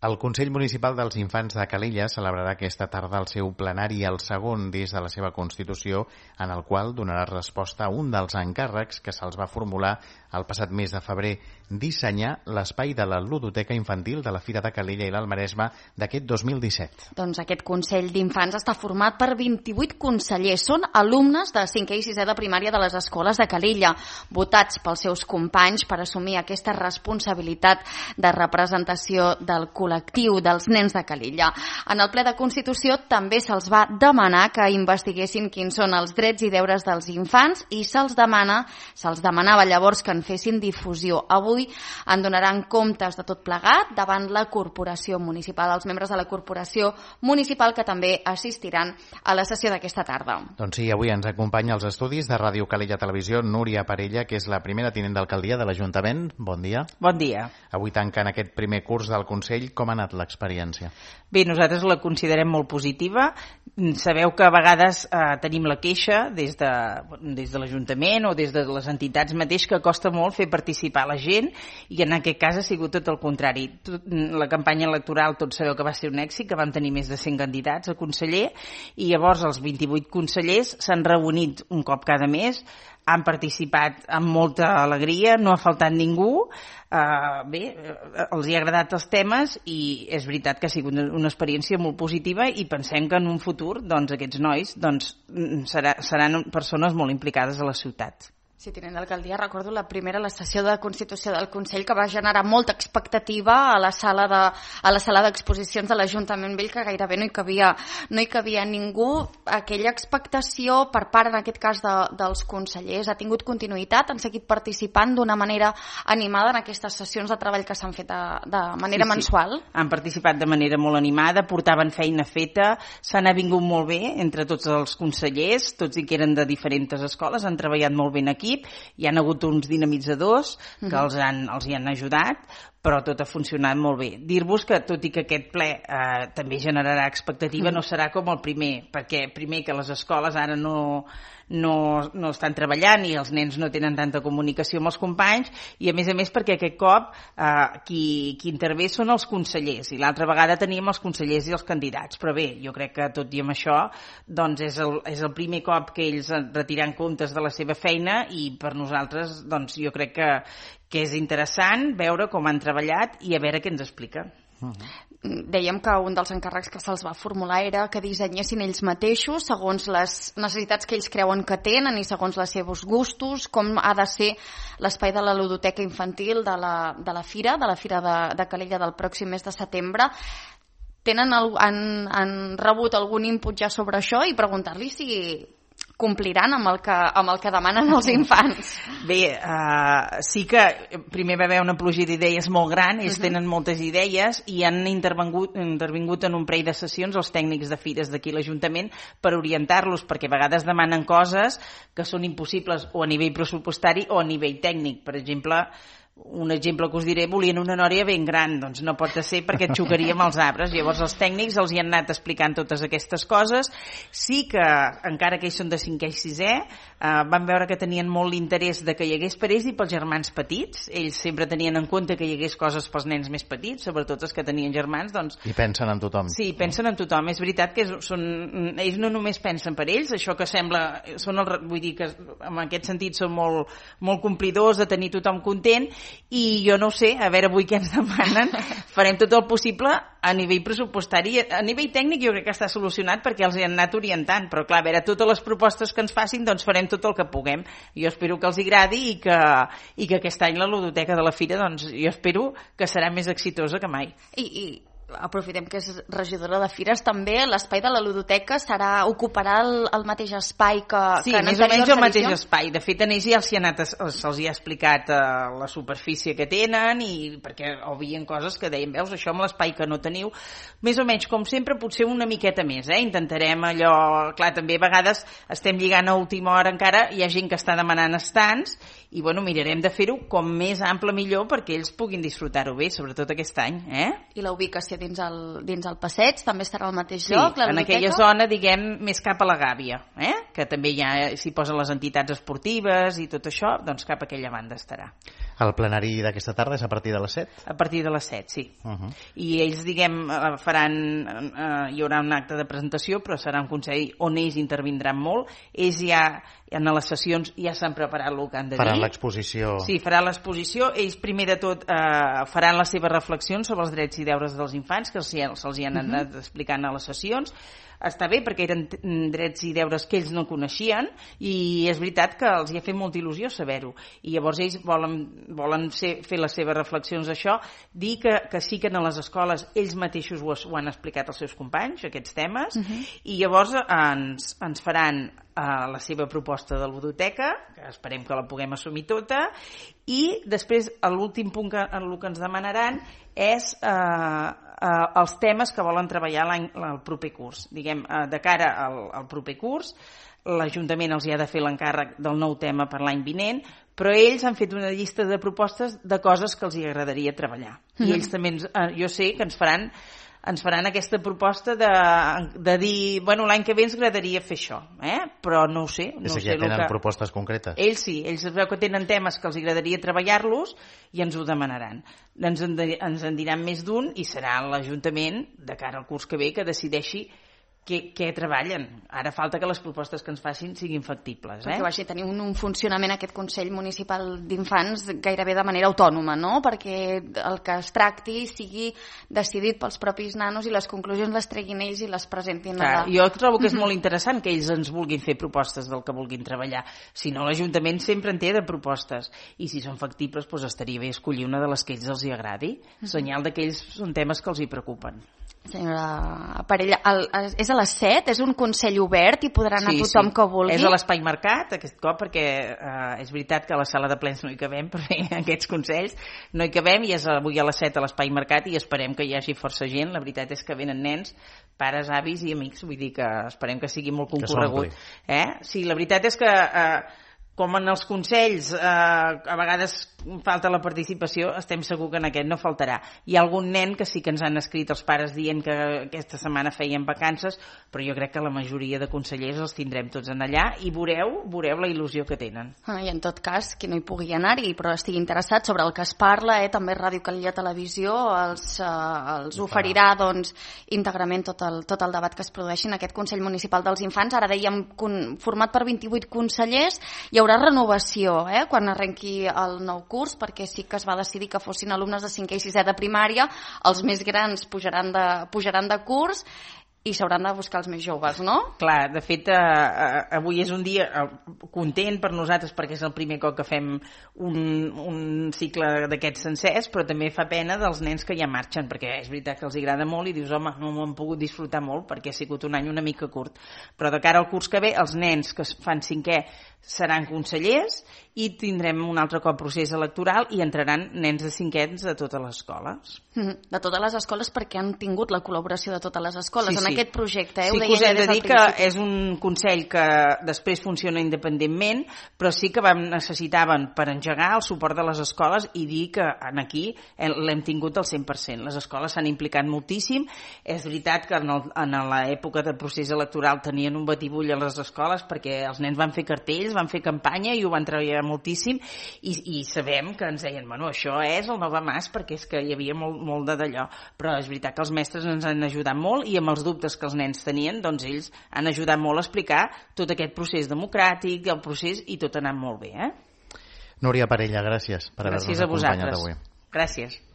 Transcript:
El Consell Municipal dels Infants de Calella celebrarà aquesta tarda el seu plenari, el segon des de la seva constitució, en el qual donarà resposta a un dels encàrrecs que se'ls va formular el passat mes de febrer, dissenyar l'espai de la ludoteca infantil de la Fira de Calella i l'Alt Maresme d'aquest 2017. Doncs aquest Consell d'Infants està format per 28 consellers. Són alumnes de 5è i 6è de primària de les escoles de Calella, votats pels seus companys per assumir aquesta responsabilitat de representació del col·lectiu dels nens de Calella. En el ple de Constitució també se'ls va demanar que investiguessin quins són els drets i deures dels infants i se'ls demanava llavors que en fessin difusió. Avui en donaran comptes de tot plegat davant la corporació municipal, els membres de la corporació municipal que també assistiran a la sessió d'aquesta tarda. Doncs sí, avui ens acompanya als estudis de Ràdio Calella Televisió Núria Parella, que és la primera tinent d'alcaldia de l'Ajuntament. Bon dia. Bon dia. Avui tanquen aquest primer curs del Consell. Com ha anat l'experiència? Bé, nosaltres la considerem molt positiva. Sabeu que a vegades tenim la queixa des de l'Ajuntament o des de les entitats mateix que costa molt fer participar la gent, i en aquest cas ha sigut tot el contrari. La campanya electoral tots sabeu que va ser un èxit, que van tenir més de 100 candidats a conseller, i llavors els 28 consellers s'han reunit un cop cada mes, han participat amb molta alegria, no ha faltat ningú. Bé, els hi ha agradat els temes i és veritat que ha sigut una experiència molt positiva, i pensem que en un futur aquests nois seran persones molt implicades a la ciutat. Sí, tinent d'alcaldia, recordo la sessió de Constitució del Consell, que va generar molta expectativa a la sala d'exposicions de l'Ajuntament Vell, que gairebé no hi cabia ningú. Aquella expectació per part, en aquest cas, dels consellers ha tingut continuïtat? Han seguit participant d'una manera animada en aquestes sessions de treball que s'han fet de manera mensual? Han participat de manera molt animada, portaven feina feta, s'han avingut molt bé entre tots els consellers, tots i que eren de diferents escoles, han treballat molt ben aquí. Hi ha hagut uns dinamitzadors que els hi han ajudat, però tot ha funcionat molt bé. Dir-vos que, tot i que aquest ple també generarà expectativa, no serà com el primer, perquè primer que les escoles ara no estan treballant i els nens no tenen tanta comunicació amb els companys, i a més perquè aquest cop qui intervé són els consellers, i l'altra vegada teníem els consellers i els candidats. Però bé, jo crec que tot i amb això és el primer cop que ells retiran comptes de la seva feina, i per nosaltres jo crec que és interessant veure com han treballat i a veure què ens expliquen. Dèiem que un dels encàrrecs que se'ls va formular era que dissenyessin ells mateixos segons les necessitats que ells creuen que tenen i segons els seus gustos, com ha de ser l'espai de la ludoteca infantil de la Fira de Calella del pròxim mes de setembre. Han rebut algun input ja sobre això, i preguntar-li si compliran amb el que demanen els infants? Bé, sí que primer va haver una pluja d'idees molt gran, ells tenen moltes idees i han intervingut en un parell de sessions els tècnics de fires d'aquí a l'Ajuntament per orientar-los, perquè a vegades demanen coses que són impossibles o a nivell pressupostari o a nivell tècnic. Per exemple, un exemple que us diré, volien una nòria ben gran, doncs no pot ser perquè xocaria amb els arbres. Llavors els tècnics els hi han anat explicant totes aquestes coses. Sí que, encara que ells són de 5è i 6è, van veure que tenien molt l'interès de que hi hagués per ells i pels germans petits. Ells sempre tenien en compte que hi hagués coses pels nens més petits, sobretot els que tenien germans. I pensen en tothom. Sí, pensen en tothom. És veritat que ells no només pensen per ells, això que sembla, vull dir que en aquest sentit són molt complidors de tenir tothom content. I jo no ho sé, a veure avui què ens demanen. Farem tot el possible a nivell pressupostari. A nivell tècnic jo crec que està solucionat perquè els hi han anat orientant, però clar, a veure, totes les propostes que ens facin, doncs farem tot el que puguem. Jo espero que els agradi i que aquest any la ludoteca de la Fira, doncs jo espero que serà més exitosa que mai. I aprofitem que és regidora de Fires, també l'espai de la ludoteca ocuparà el mateix espai que en més o menys el mateix espai. De fet, en ells ja se'ls ha explicat la superfície que tenen, i perquè veien coses que deien, veus, això amb l'espai que no teniu, més o menys com sempre, potser una miqueta més. Intentarem allò, clar, també a vegades estem lligant a última hora encara, hi ha gent que està demanant estants, i bueno, mirarem de fer-ho com més ample millor perquè ells puguin disfrutar-ho bé, sobretot aquest any. I la ubicació dins el passeig també estarà al mateix lloc? Sí, en aquella zona, diguem, més cap a la Gàbia, que també s'hi posen les entitats esportives i tot això, doncs cap a aquella banda estarà. El plenari d'aquesta tarda és a partir de les 7? A partir de les 7, sí. I ells, hi haurà un acte de presentació, però serà un consell on ells intervindran molt. Ells ja en les sessions ja s'han preparat el que han de dir. Faran l'exposició. Sí, faran l'exposició. Ells, primer de tot, faran les seves reflexions sobre els drets i deures dels infants, que se'ls hi han anat explicant a les sessions. Està bé perquè eren drets i deures que ells no coneixien i és veritat que els hi ha fet molta il·lusió saber-ho. I llavors ells volen fer les seves reflexions d'això, dir que sí que en les escoles ells mateixos ho han explicat als seus companys, aquests temes, i llavors ens faran la seva proposta de ludoteca, que esperem que la puguem assumir tota, i després l'últim punt que ens demanaran és els temes que volen treballar el proper curs. Diguem, de cara al proper curs, l'Ajuntament els hi ha de fer l'encàrrec del nou tema per l'any vinent, però ells han fet una llista de propostes de coses que els hi agradaria treballar. I ells també, jo sé que ens faran aquesta proposta de dir, bueno, l'any que ve ens agradaria fer això, però no ho sé. És que ja tenen propostes concretes. Ells sí, ells es veu que tenen temes que els agradaria treballar-los i ens ho demanaran. Ens en diran més d'un i serà l'Ajuntament, de cara al curs que ve, que decideixi què treballen. Ara falta que les propostes que ens facin siguin factibles. Perquè vagi tenir un funcionament aquest Consell Municipal d'Infants gairebé de manera autònoma, no? Perquè el que es tracti sigui decidit pels propis nanos i les conclusions les treguin ells i les presentin allà. Jo trobo que és molt interessant que ells ens vulguin fer propostes del que vulguin treballar. Si no, l'Ajuntament sempre en té de propostes i si són factibles doncs estaria bé escollir una de les que ells els hi agradi. Senyal que ells són temes que els hi preocupen. Senyora Parella, és a les 7? És un consell obert i podrà anar tothom que vulgui? És a l'Espai Mercat aquest cop perquè és veritat que a la sala de plens no hi cabem, per fer aquests consells no hi cabem i és avui a les 7 a l'Espai Mercat i esperem que hi hagi força gent. La veritat és que venen nens, pares, avis i amics, vull dir que esperem que sigui molt concorregut. Sí, la veritat és que com en els consells a vegades falta la participació, estem segur que en aquest no faltarà. Hi ha algun nen que sí que ens han escrit els pares dient que aquesta setmana feien vacances, però jo crec que la majoria de consellers els tindrem tots en allà i veureu la il·lusió que tenen. I en tot cas, qui no hi pugui anar-hi però estigui interessat sobre el que es parla, també Ràdio Calella Televisió els oferirà íntegrament tot el debat que es produeixi en aquest Consell Municipal dels Infants. Ara dèiem format per 28 consellers, hi haurà renovació quan arrenqui el nou curs, perquè sí que es va decidir que fossin alumnes de 5è i 6è de primària, els més grans pujaran de curs i s'hauran de buscar els més joves, no? Clar, de fet, avui és un dia content per nosaltres perquè és el primer cop que fem un cicle d'aquests sencers, però també fa pena dels nens que ja marxen, perquè és veritat que els agrada molt i dius, home, no m'ho han pogut disfrutar molt perquè ha sigut un any una mica curt. Però de cara al curs que ve, els nens que fan 5è seran consellers i tindrem un altre cop procés electoral i entraran nens de 5è de totes les escoles. De totes les escoles perquè han tingut la col·laboració de totes les escoles en aquest projecte. Sí que us hem de dir que és un consell que després funciona independentment, però sí que necessitaven per engegar el suport de les escoles i dir que aquí l'hem tingut al 100%. Les escoles s'han implicat moltíssim. És veritat que en l'època del procés electoral tenien un batibull a les escoles perquè els nens van fer cartells, van fer campanya i ho van treballar moltíssim i sabem que ens deien, bueno, això és el Nova Mas perquè és que hi havia molt d'allò, però és veritat que els mestres ens han ajudat molt i amb els dubtes que els nens tenien, doncs ells han ajudat molt a explicar tot aquest procés democràtic, el procés i tot ha anat molt bé. Núria Parella, gràcies per haver-nos acompanyat avui. Gràcies.